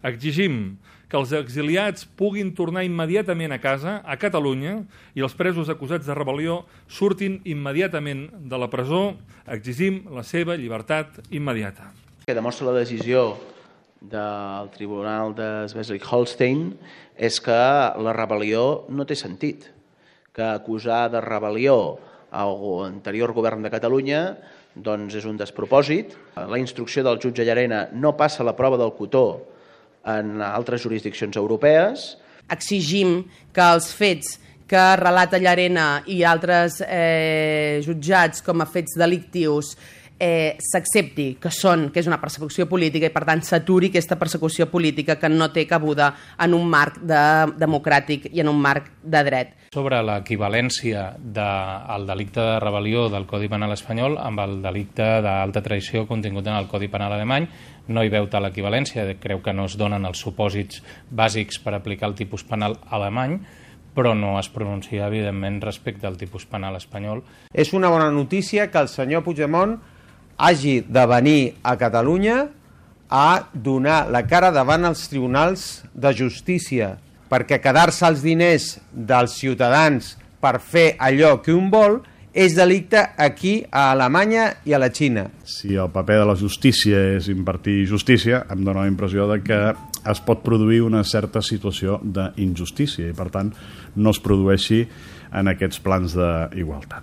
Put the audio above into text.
Exigim que els exiliats puguin tornar immediatament a casa, a Catalunya, i els presos acusats de rebel·lió surtin immediatament de la presó. Exigim la seva llibertat immediata. Que demostra la decisió del Tribunal de Schleswig-Holstein és que la rebel·lió no té sentit, que acusar de rebel·lió l'anterior govern de Catalunya doncs és un despropòsit. La instrucció del jutge Llarena no passa la prova del cotó en altres jurisdiccions europees. Exigim que els fets que relata Llarena i altres jutjats com a fets delictius s'accepti que és una persecució política i per tant s'aturi aquesta persecució política que no té cabuda en un marc democràtic i en un marc de dret. Sobre l'equivalència del delicte de rebel·lió del Codi Penal espanyol amb el delicte d'alta traïció contingut en el Codi Penal alemany, no hi veu tal equivalència, creu que no es donen els supòsits bàsics per aplicar el tipus penal alemany, però no es pronuncia, evidentment, respecte al tipus penal espanyol. És una bona notícia que el senyor Puigdemont hagi de venir a Catalunya a donar la cara davant els tribunals de justícia, perquè quedar-se els diners dels ciutadans per fer allò que un vol és delicte aquí, a Alemanya i a la Xina. Si el paper de la justícia és impartir justícia, em dóna la impressió de que es pot produir una certa situació d'injustícia i, per tant, no es produeixi en aquests plans d'igualtat.